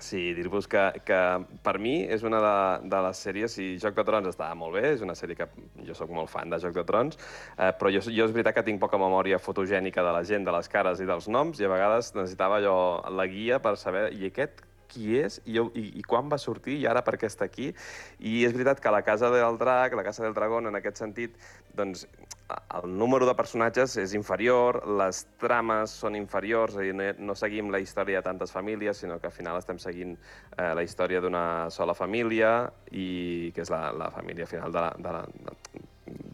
Sí, dir-vos que, que per mi és una de, de les sèries, i Joc de Trons estava molt bé, és una sèrie que jo sóc molt fan de Joc de Trons, eh, però jo, jo és veritat que tinc poca memòria fotogènica de la gent, de les cares i dels noms, i a vegades necessitava allò, la guia per saber, i aquest qui és, i, i, i quan va sortir, i ara per què està aquí. I és veritat que la Casa del Drac, la Casa del Dragón, en aquest sentit, doncs, el número de personatges és inferior, les trames són inferiors, és a dir, no, no seguim la història de tantes famílies, sinó que al final estem seguint eh, la història d'una sola família, i que és la, la família final de la... De la de,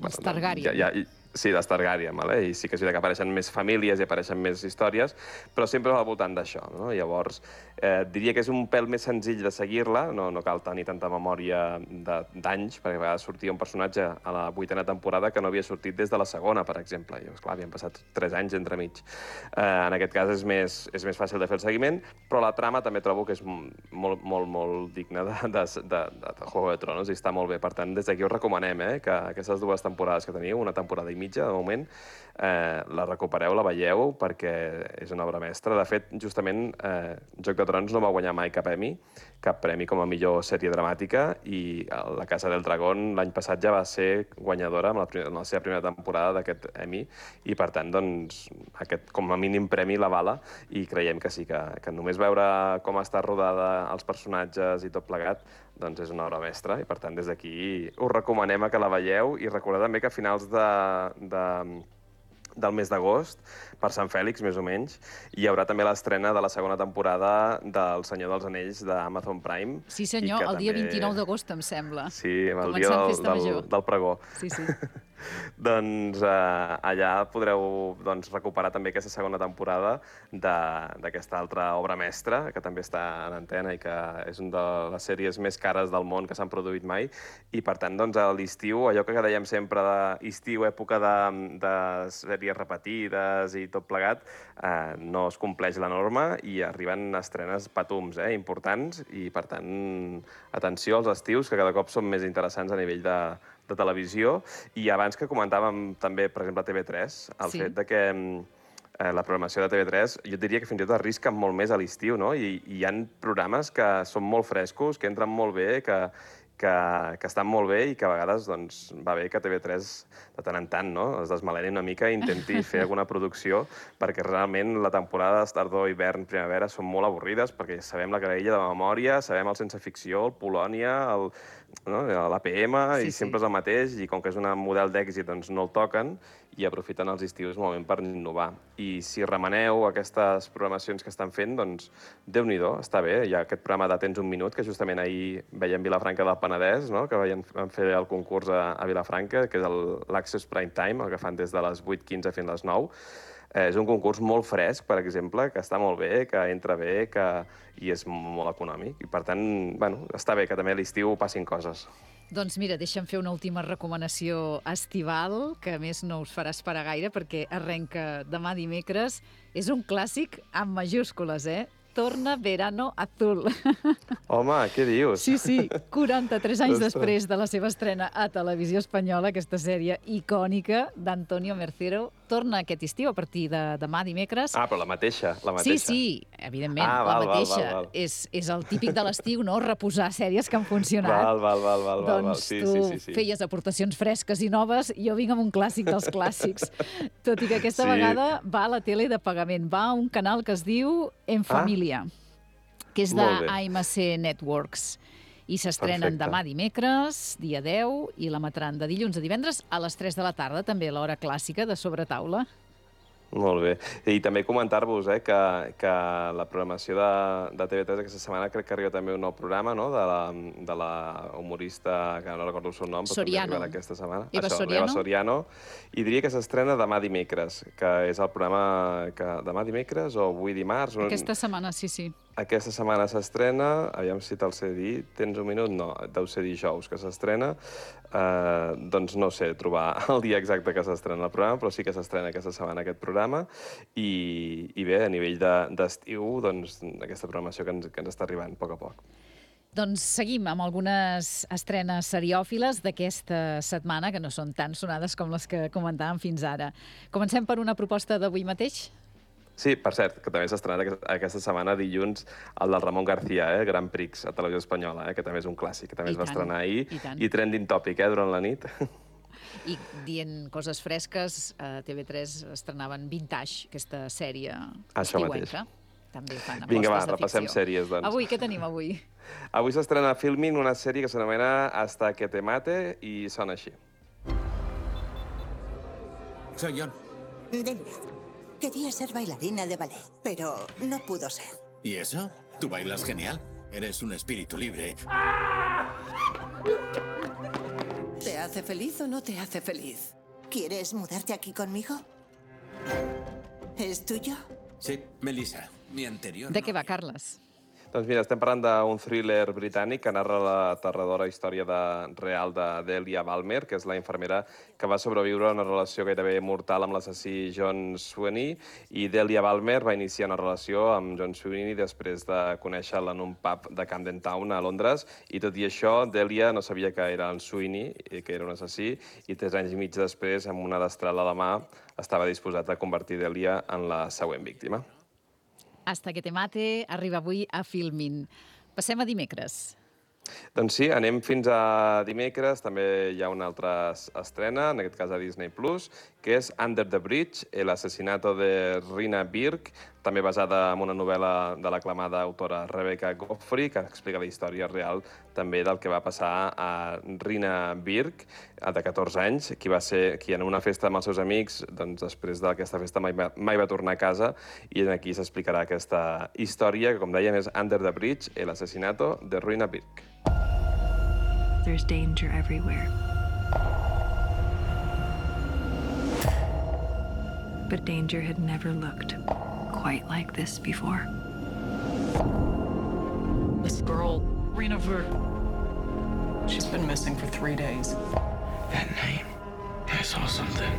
Els Targaryen. Ja, ja, sí, dels Targaryen, vale? I sí que és veritat que apareixen més famílies i apareixen més històries, però sempre al voltant d'això, no? Llavors, eh, diria que és un pèl més senzill de seguir-la, no, no cal tenir tanta memòria d'anys, perquè a vegades sortia un personatge a la vuitena temporada que no havia sortit des de la segona, per exemple. I, esclar, havien passat tres anys entremig. Eh, en aquest cas és més, és més fàcil de fer el seguiment, però la trama també trobo que és molt, molt, molt digna de, de, de, de Juego de Tronos, i està molt bé. Per tant, des d'aquí us recomanem eh, que aquestes dues temporades que teniu, una temporada i mitja, mitja, de moment, eh, la recupereu, la veieu, perquè és una obra mestra. De fet, justament, eh, Joc de Trons no va guanyar mai cap Emmy, cap premi com a millor sèrie dramàtica, i La Casa del Dragón l'any passat ja va ser guanyadora en la, primera, en la seva primera temporada d'aquest Emmy, i per tant, doncs, aquest com a mínim premi l'avala, i creiem que sí, que, que només veure com està rodada els personatges i tot plegat, doncs és una obra mestra, i per tant, des d'aquí us recomanem a que la veieu, i recordeu també que a finals de, de del mes d'agost, per Sant Fèlix, més o menys, hi haurà també l'estrena de la segona temporada del Senyor dels Anells d'Amazon Prime. Sí, senyor, el dia vint-i-nou d'agost, em sembla. Sí, el dia del, del, del pregó. Sí, sí. Doncs eh, allà podreu doncs, recuperar també aquesta segona temporada d'aquesta altra obra mestra, que també està en antena i que és una de les sèries més cares del món que s'han produït mai. I per tant, doncs, a l'estiu, allò que dèiem sempre d'estiu, època de, de sèries repetides i tot plegat, eh, no es compleix la norma i arriben estrenes patums, eh, importants, i per tant, atenció als estius, que cada cop són més interessants a nivell de de televisió. I abans que comentàvem també, per exemple, a T V tres, el sí. fet de que eh, la programació de T V tres, jo diria que fins i tot arrisca molt més a l'estiu, no? I, i hi ha programes que són molt frescos, que entren molt bé, que, que, que estan molt bé, i que a vegades doncs, va bé que T V tres de tant en tant, no?, es desmaleni una mica i intenti fer alguna producció, perquè realment la temporada d'estardor, hivern, primavera són molt avorrides, perquè sabem la graella de memòria, sabem el Sense Ficció, el Polònia, el no? l'A P M, sí, i sempre sí. és el mateix, i com que és un model d'èxit, doncs no el toquen, i aprofiten els estius moment per innovar. I si remeneu aquestes programacions que estan fent, doncs Déu-n'hi-do, està bé. Hi ha aquest programa de Tens un minut, que justament ahir veiem Vilafranca del Penedès, no? que van fer el concurs a, a Vilafranca, que és l'Access Prime Time, el que fan des de les vuit quinze fins a les nou. Eh, és un concurs molt fresc, per exemple, que està molt bé, que entra bé, que... i és molt econòmic. I per tant, bueno, està bé que també a l'estiu passin coses. Doncs mira, deixa'm fer una última recomanació estival, que a més no us farà esperar gaire, perquè arrenca demà dimecres. És un clàssic amb majúscules, eh? Torna Verano Azul. Home, què dius? Sí, sí, quaranta-tres anys després de la seva estrena a Televisió Espanyola, aquesta sèrie icònica d'Antonio Mercero, torna aquest estiu a partir de demà dimecres. Ah, però la mateixa, la mateixa. Sí, sí, evidentment, ah, val, la mateixa. Val, val, val. És, és el típic de l'estiu, no?, reposar sèries que han funcionat. Val, val, val, val, doncs val. Sí, tu sí, sí, sí. feies aportacions fresques i noves, jo vinc amb un clàssic dels clàssics. Tot i que aquesta sí. vegada va a la tele de pagament, va a un canal que es diu En Família. Ah? que és de A M C Networks. I s'estrenen demà dimecres, dia deu, i l'emetran de dilluns a divendres a les tres de la tarda, també l'hora clàssica de Sobretaula. Molt bé. I també comentar-vos eh, que, que la programació de, de T V tres aquesta setmana crec que arriba també un nou programa, no?, de la, de la humorista, que no recordo el seu nom, però Soriano. també arriba aquesta setmana. Eva Això, Soriano. Eva Soriano. I diria que s'estrena demà dimecres, que és el programa que demà dimecres o avui dimarts. Aquesta setmana, sí, sí. Aquesta setmana s'estrena, aviam si te'l sé dir, tens un minut? No, deu ser dijous que s'estrena. Uh, doncs no sé trobar el dia exacte que s'estrena el programa, però sí que s'estrena aquesta setmana aquest programa. I, i bé, a nivell d'estiu, de, doncs, aquesta programació que ens, que ens està arribant a poc a poc. Doncs seguim amb algunes estrenes seriòfiles d'aquesta setmana, que no són tan sonades com les que comentàvem fins ara. Comencem per una proposta d'avui mateix? Sí, per cert, que també s'ha estrenat aquesta setmana, dilluns, el del Ramon García, eh? Grand Prix, a Televisió Espanyola, eh? que també és un clàssic, que també I es va tant, estrenar ahir, i, i trending topic eh? durant la nit. I dient coses fresques, a T V tres estrenaven Vintage, aquesta sèrie estiuenca. També fan apostes Vinga, va, de repassem ficció. Sèries, doncs. Avui, què tenim avui? Avui s'estrena a Filmin una sèrie que s'anomena Hasta que te mate i sona així. Soy John. Denver. Quería ser bailarina de ballet, pero no pudo ser. ¿Y eso? Tú bailas genial. Eres un espíritu libre. ¿Te hace feliz o no te hace feliz? ¿Quieres mudarte aquí conmigo? ¿Es tuyo? Sí, Melissa, mi anterior... De què va, Carles? Doncs mira, estem parlant d'un thriller britànic que narra la aterradora història de, real de Delia Balmer, que és la infermera que va sobreviure a una relació gairebé mortal amb l'assassí John Sweeney, i Delia Balmer va iniciar una relació amb John Sweeney després de conèixer-la en un pub de Camden Town a Londres, i tot i això, Delia no sabia que era en Sweeney, que era un assassí, i tres anys i mig després, amb una destral a la mà, estava disposat a convertir Delia en la següent víctima. Hasta que te mate arriba avui a Filmin. Passem a dimecres. Doncs sí, anem fins a dimecres. També hi ha una altra estrena, en aquest cas a Disney plus, que és Under the Bridge, el asesinato de Rina Birk, també basada en una novel·la de l'aclamada autora Rebecca Godfrey, que explica la història real també del que va passar a Rina Birk, de catorze anys, qui va ser qui en una festa amb els seus amics, doncs després d'aquesta festa mai va, mai va tornar a casa, i aquí s'explicarà aquesta història, que com dèiem és Under the Bridge, el asesinato de Rina Birk. There's danger everywhere. But danger had never looked quite like this before. This girl, Rina Birk, she's been missing for three days. That name, I saw something.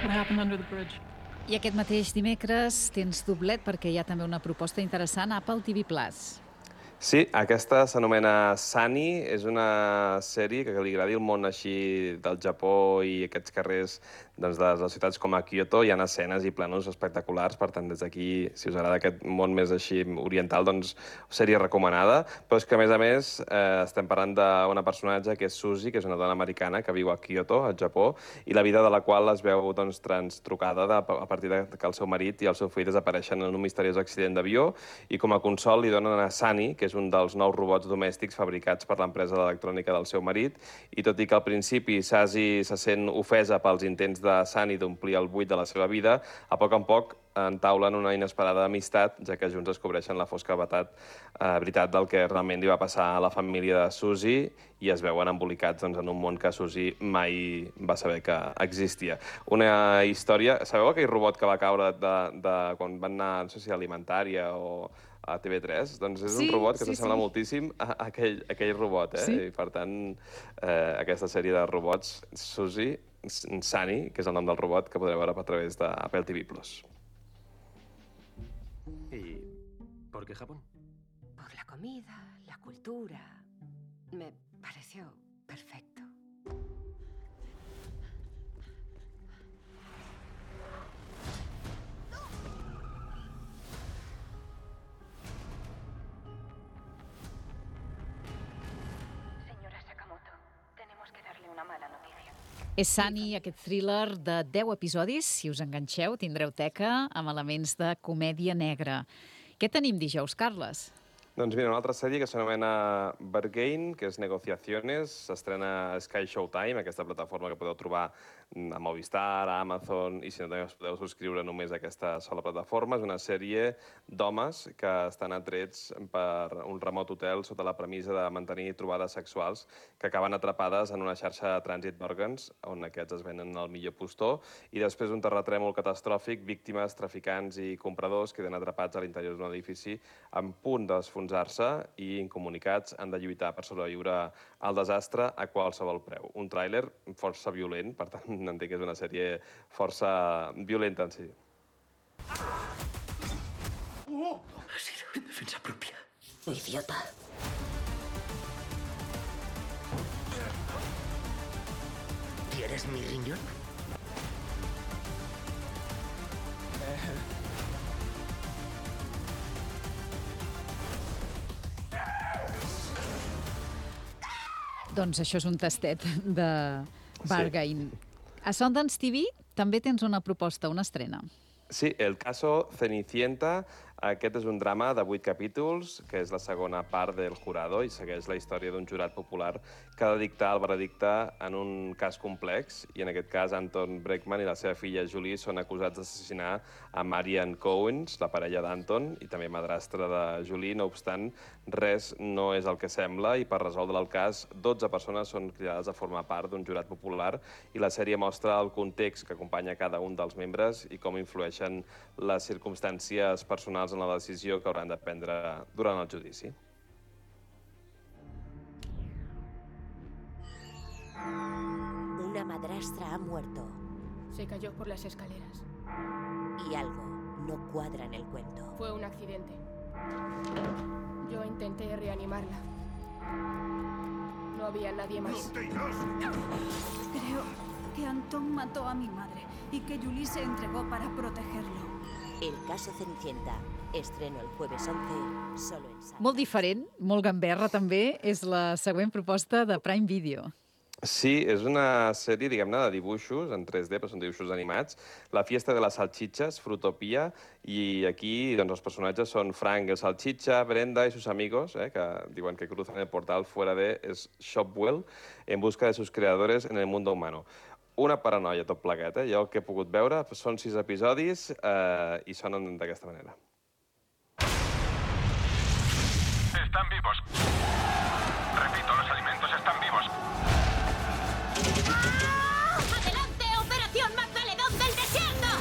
What happened under the bridge? I aquest mateix dimecres tens doblet perquè hi ha també una proposta interessant a Apple T V plus. Sí, aquesta s'anomena Sunny, és una sèrie que li agradi el món així del Japó i aquests carrers doncs, de les ciutats com a Kyoto. Hi ha escenes i plànols espectaculars, per tant, des d'aquí, si us agrada aquest món més així oriental, doncs sèrie recomanada. Però és que, a més a més, eh, estem parlant d'una personatge que és Suzy, que és una dona americana que viu a Kyoto, al Japó, i la vida de la qual es veu doncs, transtrucada de, a partir de que el seu marit i el seu fill desapareixen en un misteriós accident d'avió, i com a consol li donen a Sunny, que és un dels nous robots domèstics fabricats per l'empresa d'electrònica del seu marit, i tot i que al principi Suzy se sent ofesa pels intents de Sunny d'omplir el buit de la seva vida, a poc en poc entaulen una inesperada amistat, ja que junts descobreixen la fosca veritat, eh, veritat del que realment li va passar a la família de Suzy, i es veuen embolicats doncs, en un món que Suzy mai va saber que existia. Una història... Sabeu aquell robot que va caure de, de, quan van anar, no sé si a Alimentària o a T V tres? Doncs és sí, un robot que sí, s'assembla sí. moltíssim a aquell, a aquell robot, eh? Sí. I per tant, eh, aquesta sèrie de robots, Suzy, Sunny, que és el nom del robot, que podreu veure a través d'Apple T V plus. ¿Y por qué Japón? Por la comida, la cultura. Me pareció perfecto. Señora Sakamoto, tenemos que darle una mala noticia. És Sunny, aquest thriller de deu episodis. Si us enganxeu, tindreu teca amb elements de comèdia negra. Què tenim dijous, Carles? Doncs mira, una altra sèrie que s'anomena Bargain, que és Negociaciones, s'estrena a Sky Showtime, aquesta plataforma que podeu trobar a Movistar, a Amazon, i si no també us podeu subscriure només a aquesta sola plataforma. És una sèrie d'homes que estan atrets per un remot hotel sota la premissa de mantenir trobades sexuals que acaben atrapades en una xarxa de trànsit d'òrgans, on aquests es venen al millor postor, i després d'un terratrèmol catastròfic, víctimes, traficants i compradors queden atrapats a l'interior d'un edifici en punt d'esfonsar-se i, incomunicats, han de lluitar per sobreviure al desastre a qualsevol preu. Un tràiler força violent, per tant, entenc que és una sèrie força violenta en si. Oh, ha sido en defensa propia. Idiota. ¿Quieres mi riñón? Doncs això és un tastet de Bargain. Sí. A Sundance T V també tens una proposta, una estrena. Sí, El caso Cenicienta. Aquest és un drama de vuit capítols, que és la segona part del Jurado, i segueix la història d'un jurat popular que ha de dictar el veredicte en un cas complex, i en aquest cas Anton Breckman i la seva filla Julie són acusats d'assassinar a Marianne Cowens, la parella d'Anton, i també madrastra de Julie. No obstant, res no és el que sembla, i per resoldre el cas, dotze persones són cridades a formar part d'un jurat popular, i la sèrie mostra el context que acompanya cada un dels membres i com influeixen les circumstàncies personals en la decisió que hauran de prendre durant el judici. Una madrastra ha muerto. Se cayó por las escaleras. Y algo no cuadra en el cuento. Fue un accidente. Yo intenté reanimarla. No había nadie más. Creo que Antón mató a mi madre y que Julie se entregó para protegerlo. El caso Cenicienta. Estreno el jueves once, solo en sala. Molt diferent, molt gamberra també, és la següent proposta de Prime Video. Sí, és una sèrie, diguem-ne, de dibuixos en tres D, però són dibuixos animats. La fiesta de las salchichas, Fruitopia, i aquí doncs, els personatges són Frank el salchicha, Brenda y sus amigos, eh, que diuen que cruzan el portal fuera de Shopwell en busca de sus creadores en el mundo humano. Una paranoia tot plegat, eh? Jo el que he pogut veure són sis episodis eh, i sonen d'aquesta manera. Están vivos. Repito, los alimentos están vivos. ¡Ah! ¡Adelante, Operación Magdaledón del Desierto!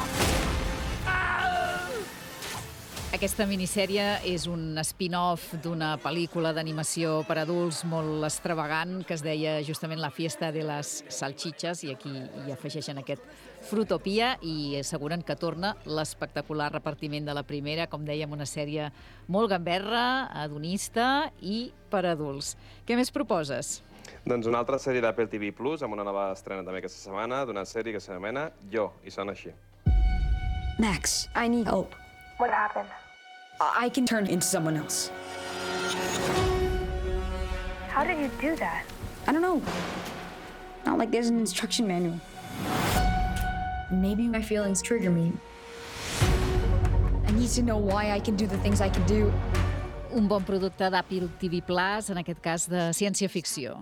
Aquesta minissèrie és un spin-off d'una pel·lícula d'animació per adults molt extravagant que es deia justament La fiesta de las salchichas, i aquí hi afegeixen aquest Fruitopia i asseguren que torna l'espectacular repartiment de la primera, com dèiem, una sèrie molt gamberra, hedonista i per adults. Què més proposes? Doncs una altra sèrie d'Apple T V Plus, amb una nova estrena també aquesta setmana, d'una sèrie que s'anomena Jo, i sona així. Max, I need help. What happened? I can turn into someone else. How did you do that? I don't know. Not like there's an instruction manual. Maybe my feelings trigger me. I need to know why I can do the things I can do. Un bon producte d'Apple T V Plus, en aquest cas de ciència-ficció.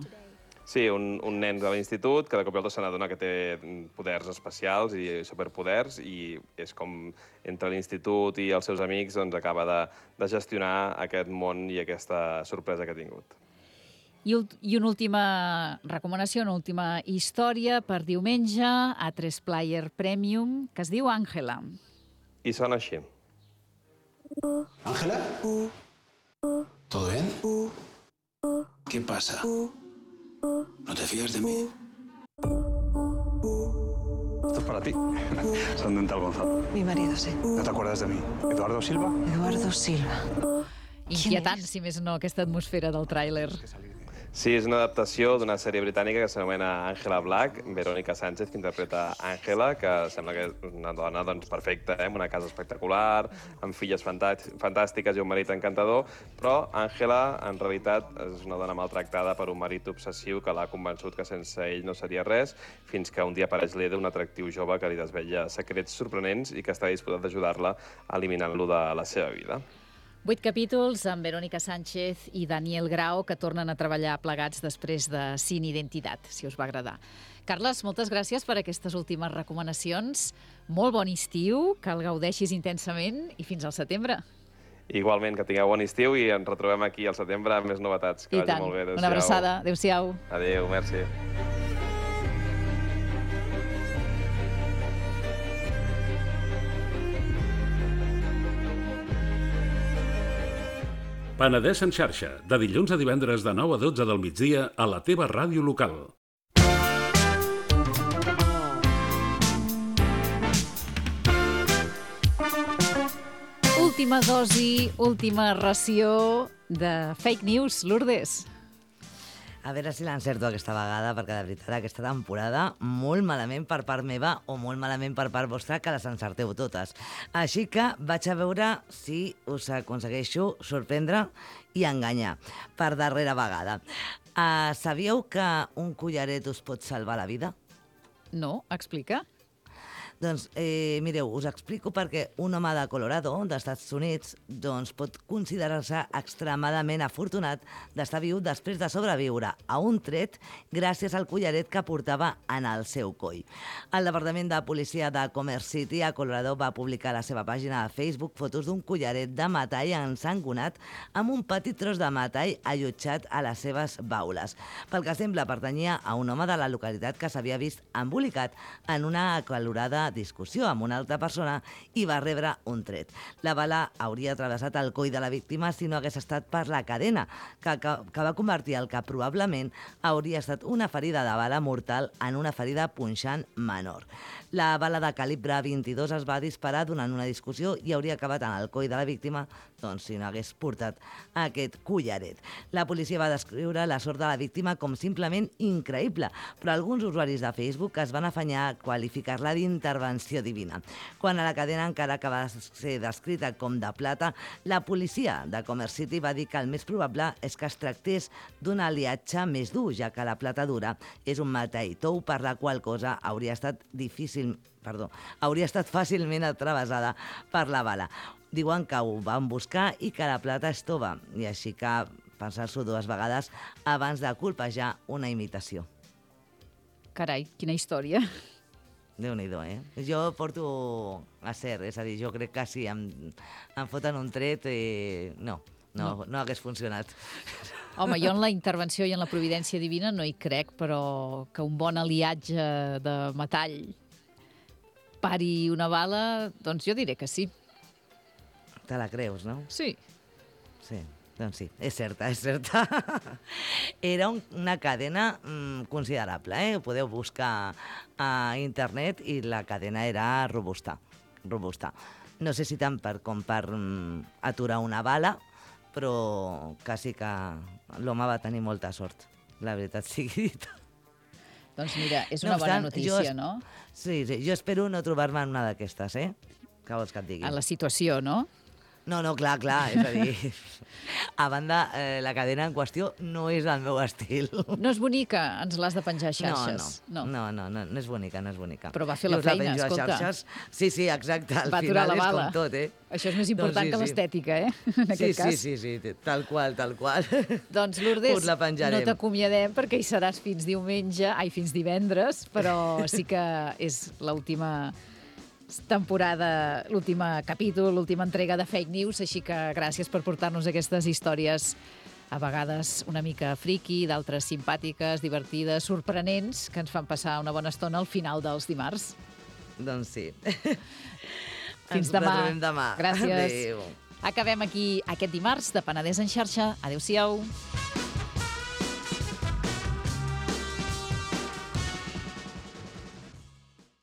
Sí, un, un nen de l'institut que de cop i volta se n'adona que té poders especials i superpoders i és com entre l'institut i els seus amics doncs, acaba de, de gestionar aquest món i aquesta sorpresa que ha tingut. I, I una última recomanació, una última història per diumenge a tres Player Premium que es diu Ángela. I sona així. ¿Ángela? ¿Todo bien? ¿Qué pasa? ¿No te fías de mí? Esto es para ti. Son Dental Gonzalo. Mi marido, sí. ¿No te acuerdas de mí? ¿Eduardo Silva? Eduardo Silva. Inquietant, si més no, aquesta atmosfera del tràiler. Sí, és una adaptació d'una sèrie britànica que s'anomena Angela Black, Verónica Sánchez, que interpreta Àngela, que sembla que és una dona doncs, perfecta, eh? Amb una casa espectacular, amb filles fantàstiques i un marit encantador, però Àngela, en realitat, és una dona maltractada per un marit obsessiu que l'ha convençut que sense ell no seria res, fins que un dia apareix l'Eda, un atractiu jove que li desvetlla secrets sorprenents i que està disposat d'ajudar-la eliminant-lo de la seva vida. Vuit capítols amb Verónica Sánchez i Daniel Grau que tornen a treballar plegats després de Sin Identitat, si us va agradar. Carles, moltes gràcies per aquestes últimes recomanacions. Molt bon estiu, que el gaudeixis intensament i fins al setembre. Igualment, que tingueu bon estiu i ens retrobem aquí al setembre amb més novetats. Que I tant, vagi molt bé. una abraçada. Adéu-siau. Adéu, merci. Penedès en xarxa, de dilluns a divendres de nou a dotze del migdia a la teva ràdio local. Última dosi, última ració de fake news, Lourdes. A veure si l'encerto aquesta vegada, perquè de veritat aquesta temporada molt malament per part meva o molt malament per part vostra que les encerteu totes. Així que vaig a veure si us aconsegueixo sorprendre i enganyar per darrera vegada. Uh, sabíeu que un collaret us pot salvar la vida? No, explica. Doncs, eh, mireu, us explico perquè un home de Colorado, dels Estats Units, doncs pot considerar-se extremadament afortunat d'estar viu després de sobreviure a un tret gràcies al collaret que portava en el seu coll. El Departament de Policia de Commerce City a Colorado va publicar a la seva pàgina de Facebook fotos d'un collaret de metall ensangonat amb un petit tros de metall allotjat a les seves baules. Pel que sembla, pertanyia a un home de la localitat que s'havia vist embolicat en una acalorada discussió amb una altra persona i va rebre un tret. La bala hauria travessat el coll de la víctima si no hagués estat per la cadena, que, que, que va convertir el que probablement hauria estat una ferida de bala mortal en una ferida punxant menor. La bala de calibre vint-i-dos es va disparar durant una discussió i hauria acabat en el coll de la víctima doncs, si no hagués portat aquest collaret. La policia va descriure la sort de la víctima com simplement increïble, però alguns usuaris de Facebook es van afanyar a qualificar-la d'intervenció divina. Quan a la cadena encara que va ser descrita com de plata, la policia de Commerce City va dir que el més probable és que es tractés d'un aliatge més dur, ja que la plata dura és un metall tou per la qual cosa hauria estat difícil, perdó, hauria estat fàcilment atravessada per la bala. Diuen que ho van buscar i que la plata és tova, i així que pensar-s'ho dues vegades abans de colpejar una imitació. Carai, quina història. Déu-n'hi-do, eh? Jo porto a ser, és a dir, jo crec que si em, em foten un tret, eh, no, no, no, no hagués funcionat. Home, jo en la intervenció i en la providència divina no hi crec, però que un bon aliatge de metall pari una bala, doncs jo diré que sí. Te la creus, no? Sí. Sí, doncs sí, és certa, és certa. Era un, una cadena mm, considerable, eh? Ho podeu buscar a internet i la cadena era robusta, robusta. No sé si tant per, com per mm, aturar una bala, però quasi que l'home va tenir molta sort, la veritat sigui dita. Doncs mira, és una no bona notícia, jo, no? Sí, sí, jo espero no trobar-me en una d'aquestes, eh? Què vols que et digui? En la situació, no? No, no, clar, clar, és a dir, a banda, eh, la cadena en qüestió no és el meu estil. No és bonica, ens l'has de penjar a xarxes. No, no, no, no, no, no és bonica, no és bonica. Però va fer la feina, la escolta. Xarxes. Sí, sí, exacte, al va final la és bala. com tot, eh? Això és més important doncs sí, que l'estètica, eh? En sí, aquest cas. Sí, sí, sí, tal qual, tal qual. Doncs, Lourdes, no t'acomiadem perquè hi seràs fins diumenge, ai, fins divendres, però sí que és l'última temporada, l'últim capítol, l'última entrega de Fake News, així que gràcies per portar-nos aquestes històries a vegades una mica friqui, d'altres simpàtiques, divertides, sorprenents, que ens fan passar una bona estona al final dels dimarts. Doncs sí. Fins demà. Ens demà. Gràcies. Adéu. Acabem aquí aquest dimarts de Penedès en xarxa. Adéu-siau.